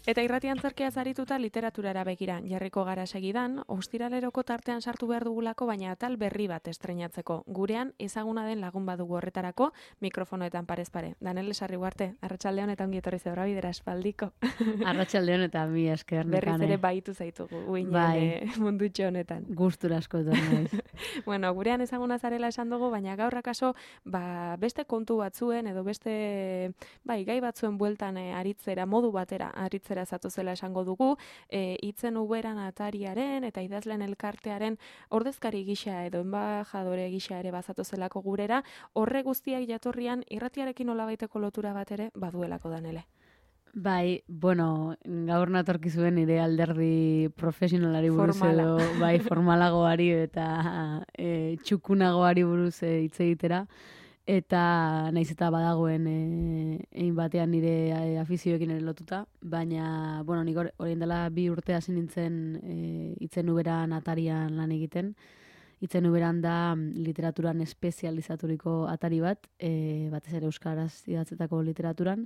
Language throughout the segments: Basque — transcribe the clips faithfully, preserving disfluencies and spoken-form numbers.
Eta irrati antzerkiaz arituta literaturara begira jarriko gara segidan, ostiraleroko tartean sartu behar dugulako, baina atal berri bat estreinatzeko. Gurean ezaguna den lagun badugu horretarako, mikrofonoetan parez pare. Danele Sarriguarte, arratsaldeon eta ongi etorri Zebrabidera espaldiko. Arratsaldeon eta mi esker Berriz nekane. ere baitu zaitugu, uinen Bai. mundutxo honetan. Gustura asko etorri naiz. Bueno, gurean ezaguna zarela esan dugu, baina gaur akaso ba, beste kontu batzuen edo beste bai, gai batzuen bueltan e, aritzera, modu batera aritzera zatozela esango dugu, e, itzen uberan atariaren eta idazlen elkartearen ordezkari gisa edo enbajadore gisa ere bazatozelako gurera, horre guztiak jatorrian irratiarekin nolabaiteko lotura bat ere baduelako Danele. Bai, bueno, gaur natorkizuen nire alderdi profesionalari buruz Formala. edo, bai, formalagoari eta e, txukunagoari buruz e, hitz egitera. Eta naiz eta badagoen e, egin batean nire e, afizioekin ere lotuta, baina, bueno, nik orain dela bi urte hasi nintzen e, itzen uberan atarian lan egiten. Itzen uberan da literaturan espezializaturiko atari bat, e, batez ere euskaraz idatzetako literaturan,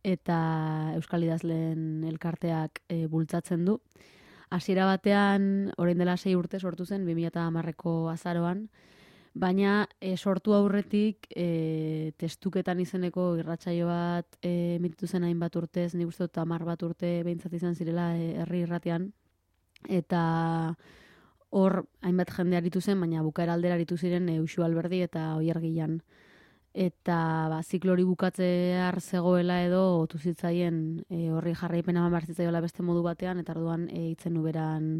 eta euskal idazleen elkarteak e, bultzatzen du. Hasiera batean, orain dela sei urte sortu zen, bi mila hamareko azaroan, baina e, sortu aurretik e, testuketan izeneko irratsaio bat e, emititu zen hainbat urtez, nik uste dut hamar bat urte behintzat izan zirela e, herri irratian, eta hor hainbat jende aritu zen, baina bukaera aldera aritu ziren e, Uxu Alberdi eta Oier Gilan. Eta ba, ziklo hori bukatzear zegoela edo otu zitzaien e, horri jarraipena eman behar zitzaiola beste modu batean, eta orduan e, itzen uberan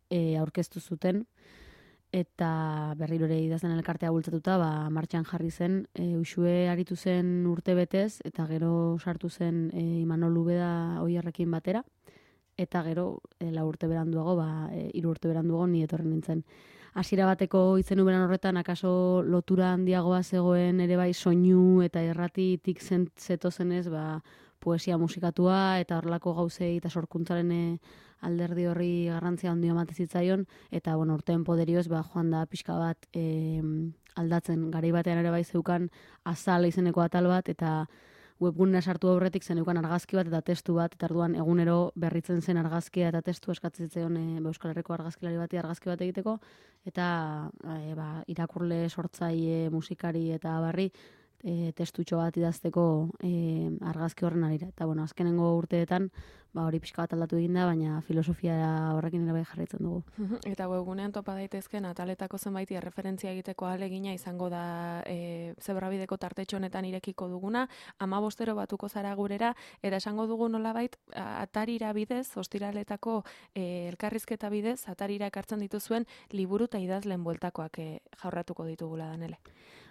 e, aurkeztu zuten. Eta berriro ere idazlen elkartea bultzatuta, ba, martxan jarri zen, e, Uxue aritu zen urte betez, eta gero sartu zen e, Imanol Ubeda Oierrekin batera, eta gero e, lau urte beranduago, ba, e, hiru urte beranduago ni etorri nintzen. Hasiera bateko itzen uberan horretan, akaso lotura handiagoa zegoen ere bai soinu eta erratitik zetozenez, ba, poesia musikatua eta horrelako gauzei eta sorkuntzaren alderdi horri garrantzia handia ematen zitzaion, eta bueno, urteen poderioz ba, joan da pixka bat e, aldatzen, garai batean ere bai zeukan azal izeneko atal bat, eta webgunera sartu aurretik zeneukan argazki bat eta testu bat, eta orduan egunero berritzen zen argazkia eta testu eskatzen zitzaion e, Euskal Herriko argazkilari bati argazki bat egiteko, eta e, ba, irakurle, sortzaile, musikari eta barri e, testutxo bat idazteko e, argazki horren arira. Eta bueno, azkenengo urteetan ba, hori pixka bat aldatu egin da, baina filosofia horrekin ere bai jarraitzen dugu. Eta webgunean topa daitezken ataletako zenbaiti erreferentzia egiteko ahalegina izango da e, Zebrabideko tartetxo honetan irekiko duguna, hamabostero batuko zara gurera, eta esango dugu nolabait atarira bidez, ostiraletako e, elkarrizketa bidez, atarira ekartzen dituzuen liburu eta idazlen bueltakoak e, jaurratuko ditugula Danele.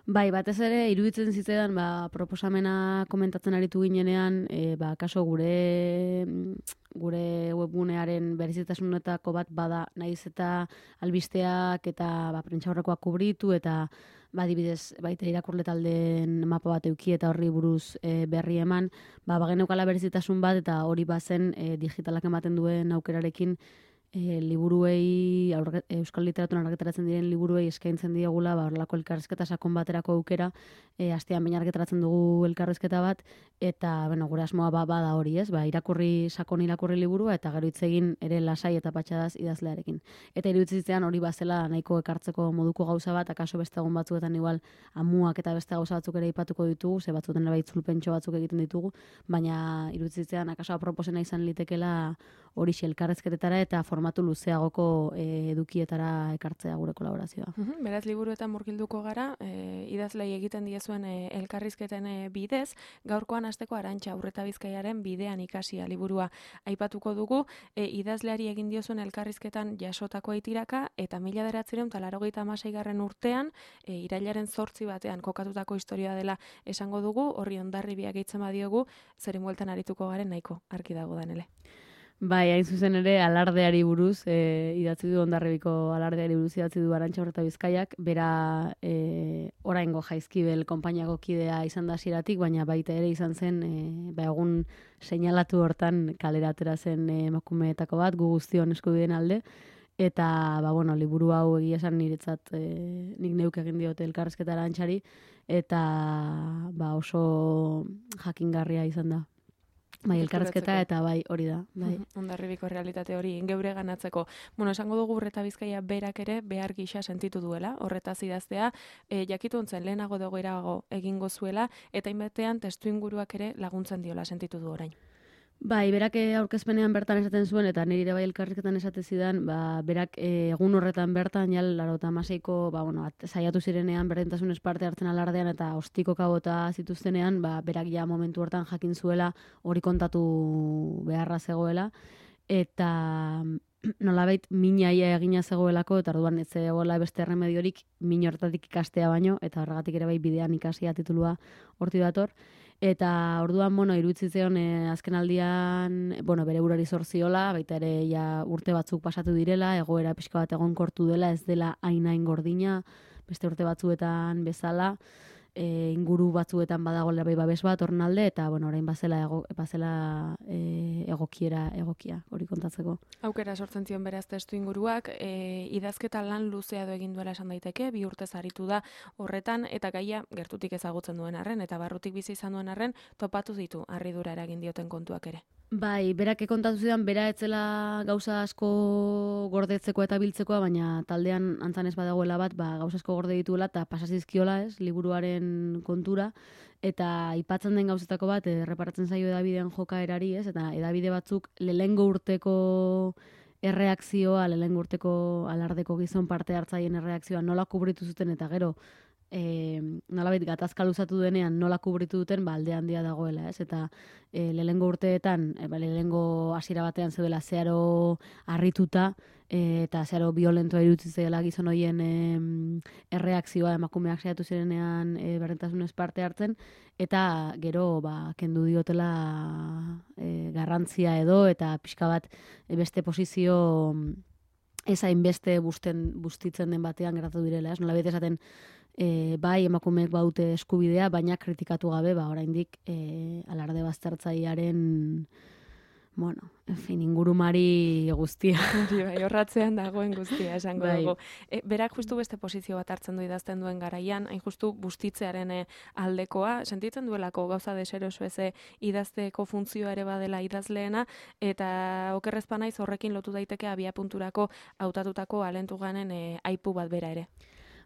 Bai, batez ere, iruditzen zitzaidan, ba, proposamena komentatzen aritu ginenean, e, ba, kaso gure, gure webgunearen berezitasunetako bat bada, naiz eta albisteak eta ba, prentxaurrekoak kubritu, eta ba, adibidez, baita irakurle taldeen mapa bat euki eta horri buruz e, berri eman, ba, bageneukala berezitasun bat, eta hori bazen e, digitalak ematen duen aukerarekin, E, liburuei, aurre, euskal literaturan argitaratzen diren liburuei eskaintzen diegula, ba, horrelako elkarrizketa sakon baterako aukera, e, astean baina argitaratzen dugu elkarrizketa bat, eta, bueno, gure asmoa ba, bada hori, ez? Ba, irakurri, sakon irakurri liburua, eta gero hitz egin ere lasai eta patxadaz idazlearekin. Eta iruditzen hori bazela nahiko ekartzeko moduko gauza bat, akaso beste egun batzuetan igual amuak eta beste gauza batzuk ere ipatuko ditugu, ze batzuetan ere itzulpentxo batzuk egiten ditugu, baina iruditzen akaso aproposena izan litekela hori elkarrizketetara eta formatu luzeagoko e, edukietara ekartzea gure kolaborazioa. Uhum, beraz, liburuetan murgilduko gara, e, idazlei egiten diezuen e, elkarrizketen e, bidez, gaurkoan hasteko Arantxa Urreta Bizkaiaren bidean ikasia liburua aipatuko dugu, e, idazleari egin diozuen elkarrizketan jasotako aitiraka, eta mila bederatziehun eta laurogeita hamaseigarren urtean, e, irailaren zortzi batean kokatutako historia dela esango dugu, horri hondarribiak gehitzen badiogu, zeren bueltan arituko garen nahiko argi dago Danele. Bai, hain zuzen ere alardeari buruz, e, idatzi du Hondarribiko alardeari buruz idatzi du Arantxa Urreta Bizkaiak, bera e, oraingo Jaizkibel konpainiako kidea izan da hasieratik, baina baita ere izan zen, e, ba, egun seinalatu hortan kalera atera zen e, emakumeetako bat, gu guztion eskubideen alde, eta ba, bueno, liburu hau egia esan niretzat e, nik neuk egin diote elkarrizketa Arantxari, eta ba, oso jakingarria izan da. Bai, elkarrezketa eta bai, hori da. Bai. Hondarribiko realitate hori geure ganatzeko. Bueno, esango dugu Urreta Bizkaia berak ere behar gisa sentitu duela, horretaz idaztea, e, jakituntzen lehenago dagoerago egingo zuela, eta inbatean testu inguruak ere laguntzen diola sentitu du orain. Bai, berak aurkezpenean bertan esaten zuen, eta nire bai elkarrizketan esate zidan, ba, berak e, egun horretan bertan, jal, larota amaseiko, ba, bueno, at, saiatu zirenean, berdintasunez parte hartzen alardean, eta ostiko kabota zituztenean, ba, berak ja momentu hortan jakin zuela, hori kontatu beharra zegoela, eta nolabait minaia egina zegoelako, eta orduan ez zegoela beste erremediorik min hortatik ikastea baino, eta horregatik ere bai bidean ikasia titulua horti dator. Eta orduan, bueno, iruditzitzen e, azken aldian, bueno, bere burari zorziola, baita ere ja urte batzuk pasatu direla, egoera pixka bat egonkortu dela, ez dela hain-hain gordina, beste urte batzuetan bezala, e, inguru batzuetan badagoela bai babes bat ornalde, eta bueno, orain bazela, ego, bazela e, egokiera egokia, hori kontatzeko. Aukera sortzen zion beraz testu inguruak, e, idazketa lan luzea do egin duela esan daiteke, bi urtez aritu da horretan, eta gaia gertutik ezagutzen duen arren, eta barrutik bizi izan duen arren, topatu ditu harridura eragin dioten kontuak ere. Bai, berak kontatu zidan, bera etzela gauza asko gordetzeko eta biltzekoa, baina taldean antzan ez badagoela bat, ba, gauza asko gorde dituela eta pasazizkiola, ez, liburuaren kontura, eta aipatzen den gauzetako bat, erreparatzen zaio edabidean jokaerari, ez, eta edabide batzuk lehengo urteko erreakzioa, lehengo urteko alardeko gizon parte hartzaien erreakzioa nola kubritu zuten, eta gero, E, nolabait gatazka luzatu denean nola kubritu duten, ba, alde handia dagoela, ez? Eta e, lehengo urteetan, e, ba, lehengo hasiera batean zeudela zeharo harrituta, e, eta zeharo violentoa irutzi zela gizon horien e, erreakzioa emakumeak saiatu zirenean e, berdintasunez parte hartzen, eta gero ba, kendu diotela e, garrantzia edo, eta pixka bat e, beste posizio ez hainbeste busten, bustitzen den batean geratu direla, ez? Nolabait esaten, E, bai emakumeek baute eskubidea, baina kritikatu gabe, ba, oraindik e, alarde baztertzailearen, bueno, en fin, ingurumari guztia. Bai, horratzean dagoen guztia, esango bai. dugu. E, berak justu beste posizio bat hartzen du idazten duen garaian, hain justu bustitzearen aldekoa, sentitzen duelako gauza deseroso eze idazteko funtzioa ere badela idazleena, eta okerrezpa naiz horrekin lotu daiteke abia punturako hautatutako alentuganen e, aipu bat bera ere.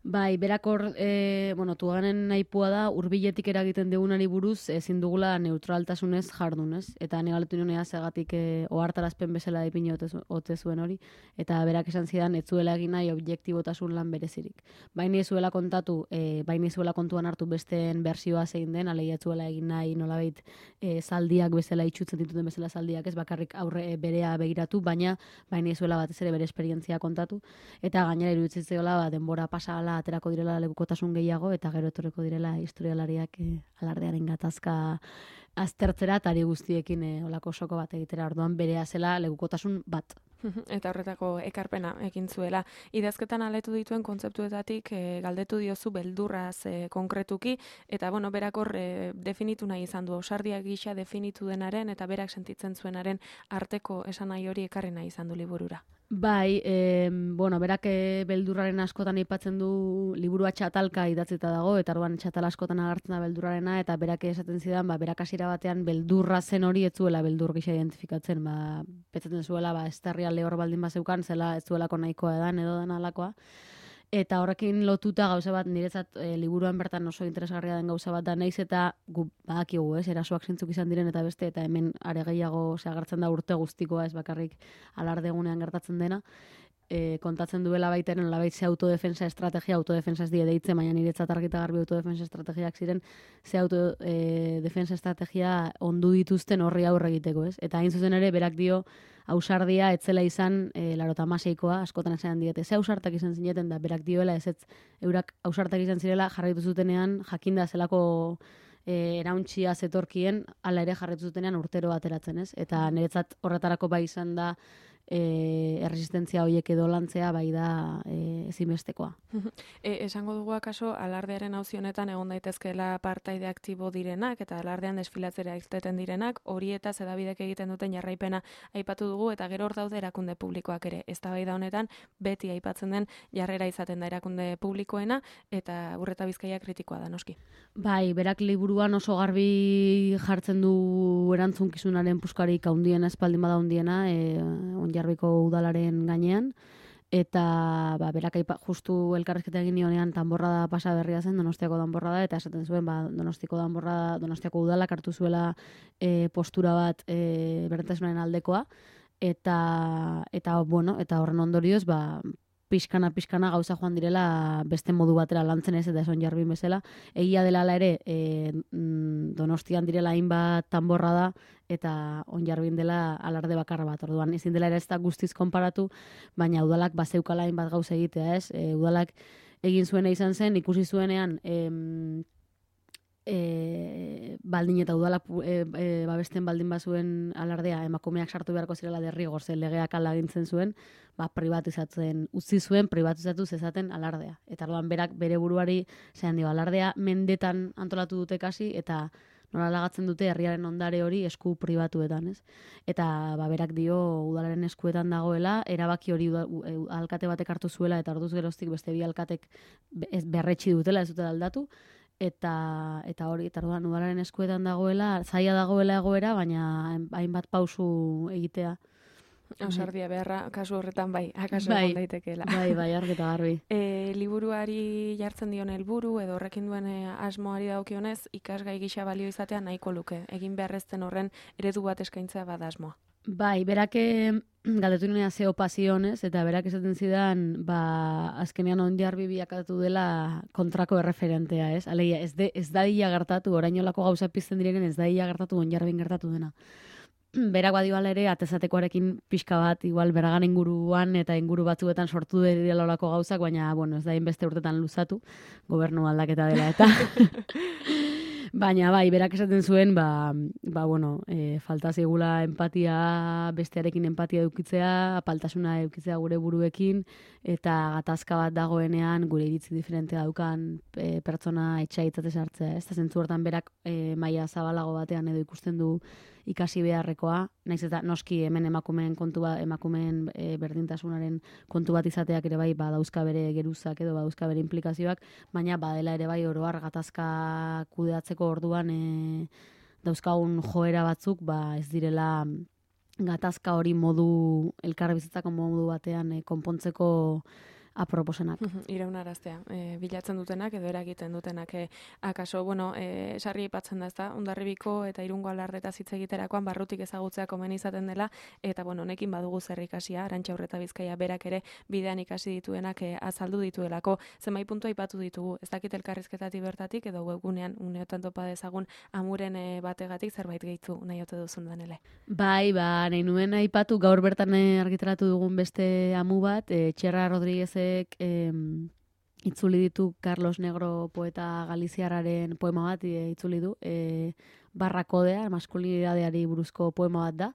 Bai, berak hor, e, bueno, tuganen naipua da, hurbiletik eragiten degunari buruz, ezin dugula neutraltasunez jardunez. Eta negaletu nionea zegatik e, ohartarazpen bezala dipin ote zuen hori. Eta berak esan zidan, ez zuela egin nahi objektibotasun lan berezirik. Baina ez zuela kontatu, e, baina ez zuela kontuan hartu besteen bersioa zein den, aleia zuela egin nahi nolabait e, zaldiak bezala itxutzen dituten bezala zaldiak, ez bakarrik aurre e, berea begiratu, baina baina ez zuela batez ere bere esperientzia kontatu. Eta gainera iruditzen zegoela, ba, denbora pasala aterako direla lekukotasun gehiago, eta gero etorreko direla historialariak e, alardearen gatazka aztertzera, eta ari guztiekin e, olako soko bat egitera, orduan berea zela lekukotasun bat. Eta horretako ekarpena egin zuela. Idazketan aletu dituen kontzeptuetatik e, galdetu diozu beldurraz e, konkretuki, eta bueno, berak hor e, definitu nahi izan du, ausardia gisa definitu denaren, eta berak sentitzen zuenaren arteko esan nahi hori ekarri nahi izan du liburura. Bai, e, bueno, berak e, beldurraren askotan aipatzen du liburua txatalka idatzita dago, eta orduan txatal askotan agertzen da beldurrarena, eta berak esaten zidan, ba, berak hasiera batean beldurra zen hori ez zuela beldur gisa identifikatzen, ba, petzaten zuela, ba, estarria lehor baldin bazeukan, zela ez zuelako nahikoa edan edo den alakoa. Eta horrekin lotuta gauza bat, niretzat e, liburuan bertan oso interesgarria den gauza bat da, naiz eta gu badakigu, ez, erasoak zintzuk izan diren eta beste, eta hemen are gehiago agertzen da urte guztikoa, ez bakarrik alardegunean gertatzen dena, e, kontatzen duela baitaren labait ze autodefensa estrategia, autodefensa ez die deitzen, baina niretzat argita garbi autodefensa estrategiak ziren, ze autodefensa estrategia ondu dituzten horri aurre egiteko, ez? Eta hain zuzen ere, berak dio, ausardia etzela izan e, larota maseikoa, askotan esan diete, ze ausartak izan zineten da, berak dioela ez ez, eurak ausartak izan zirela jarraitu zutenean, jakinda zelako e, erauntxia zetorkien, ala ere jarraitu zutenean urtero ateratzen, ez? Eta niretzat horretarako bai izan da e, erresistentzia horiek edo lantzea bai da e, ezinbestekoa. E, esango dugu akaso alardearen auzi honetan egon daitezkeela partaide aktibo direnak eta alardean desfilatzera irteten direnak, hori eta zedabidek egiten duten jarraipena aipatu dugu eta gero hor daude erakunde publikoak ere. Eztabaida honetan beti aipatzen den jarrera izaten da erakunde publikoena eta Urreta Bizkaia kritikoa da noski. Bai, berak liburuan oso garbi jartzen du erantzunkizunaren puskarik handiena, espaldin bada handiena, e, Onjarbiko udalaren gainean, eta ba, berak aipa, justu elkarrizketa egin nionean danborrada pasa berria zen, Donostiako danborrada, eta esaten zuen, ba, Donostiako danborrada, Donostiako udalak hartu zuela e, postura bat e, berdintasunaren aldekoa, eta, eta, bueno, eta horren ondorioz, ba, pixkana, pixkana gauza joan direla beste modu batera lantzen ez, eta eson jarbin bezala. Egia dela ala ere, e, Donostian direla hainbat tanborra da, eta Onjarbin dela alarde bakarra bat. Orduan, ezin dela ere ez da guztiz konparatu, baina udalak bazeukala hainbat gauza egitea ez. E, udalak egin zuena izan zen, ikusi zuenean, em, E, baldin eta udalak e, e, babesten baldin bazuen alardea emakumeak sartu beharko zirela derrigor, ze legeak ala agintzen zuen, ba, privatizatzen utzi zuen, privatizatu zezaten alardea. Eta orduan berak bere buruari zean dio, alardea mendetan antolatu dute kasi, eta nola lagatzen dute herriaren ondare hori esku pribatuetan, ez? Eta ba, berak dio udalaren eskuetan dagoela, erabaki hori uda, u, alkate batek hartu zuela, eta orduz geroztik beste bi alkatek ez berretsi dutela, ez dutela aldatu, eta eta hori eta orduan udalaren eskuetan dagoela, zaila dagoela egoera, baina hainbat pausu egitea. Ausardia beharra, kasu horretan bai, akaso bai, egon daitekeela. Bai, bai, argi eta garbi. E, liburuari jartzen dion helburu edo horrekin duen e, asmoari dagokionez, ikasgai gisa balio izatea nahiko luke. Egin beharrezten horren eredu bat eskaintzea bada asmoa. Bai, berak galdetu nena zeo pasionez, eta berak esaten zidan, ba, azkenean Onjarbi bilakatu dela kontrako erreferentea, ez? Alegia, ez, de, ez dadila gertatu, orainolako gauza pizten direnen ez dadila gertatu Onjarbin gertatu dena. Berak badio ala ere, atezatekoarekin pixka bat, igual beragan inguruan eta inguru batzuetan sortu dira olako gauzak, baina, bueno, ez da inbeste urtetan luzatu, gobernu aldaketa dela eta... Baina bai, berak esaten zuen, ba, ba bueno, e, falta zegula empatia, bestearekin empatia edukitzea, apaltasuna edukitzea gure buruekin, eta gatazka bat dagoenean gure iritzi diferentea daukan e, pertsona etxaitzate sartzea. Ez da zentzu hortan berak e, maila zabalago batean edo ikusten du ikasi beharrekoa, naiz eta noski hemen emakumeen kontu bat, emakumeen e, berdintasunaren kontu bat izateak ere bai, ba, dauzka bere geruzak edo ba, dauzka bere implikazioak, baina badela ere bai oroar gatazka kudeatzeko orduan e, dauzkagun joera batzuk, ba, ez direla gatazka hori modu, elkarbizitzako modu batean e, konpontzeko aproposenak. Iraunaraztea, e, bilatzen dutenak edo eragiten dutenak. E, akaso, bueno, e, sarri ipatzen da, ez da, Hondarribiko eta Irungo alardetaz hitz egiterakoan barrutik ezagutzea komeni izaten dela, eta, bueno, honekin badugu zer ikasia, Arantxa Urreta Bizkaia berak ere bidean ikasi dituenak e, azaldu dituelako. Zenbait puntu aipatu ditugu, ez dakit elkarrizketatik bertatik edo webgunean uneotan topa dezagun amuren e, bategatik zerbait gehitu nahi ote duzun danele. Bai, ba, nahi nuen aipatu gaur bertan argitaratu dugun beste amu bat, e, Txerra Rodríguez Eh, itzuli ditu Carlos Negro poeta galiziarraren poema bat e, itzuli du, e, barrakodea, maskulinidadeari buruzko poema bat da,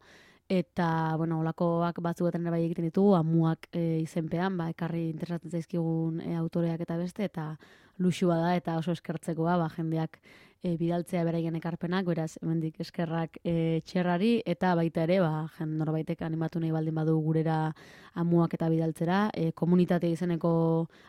eta, bueno, olakoak batzuetan ere bai egiten ditugu, amuak e, izenpean, ba, ekarri interesatzen zaizkigun e, autoreak eta beste, eta luxua da, eta oso eskertzekoa, ba, jendeak e, bidaltzea beraien ekarpenak, beraz, hemendik eskerrak e, Txerrari, eta baita ere, ba, jen norbaitek animatu nahi baldin badu gurera amuak eta bidaltzera, e, komunitate izeneko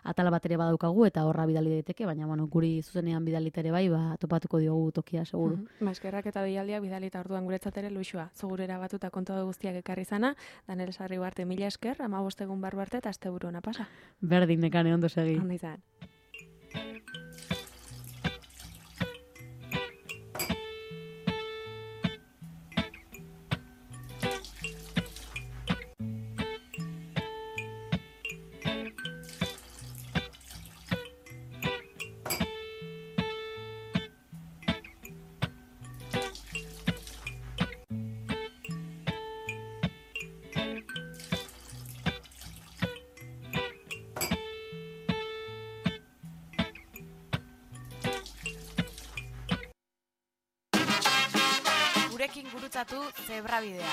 atala bat ere badaukagu, eta horra bidali daiteke, baina, bueno, guri zuzenean bidalita ere bai, ba, topatuko diogu tokia, seguru. Mm -hmm. Ba, eskerrak eta deialdiak bidalita orduan guretzat ere luxua, zugurera batuta kontu guztiak ekarri zana, Danel Sarribarte mila esker, hamabost egun barru arte, eta asteburu ona pasa. Berdin, nekane ondo segi. Ondo izan. Gurekin gurutzatu Zebrabidea.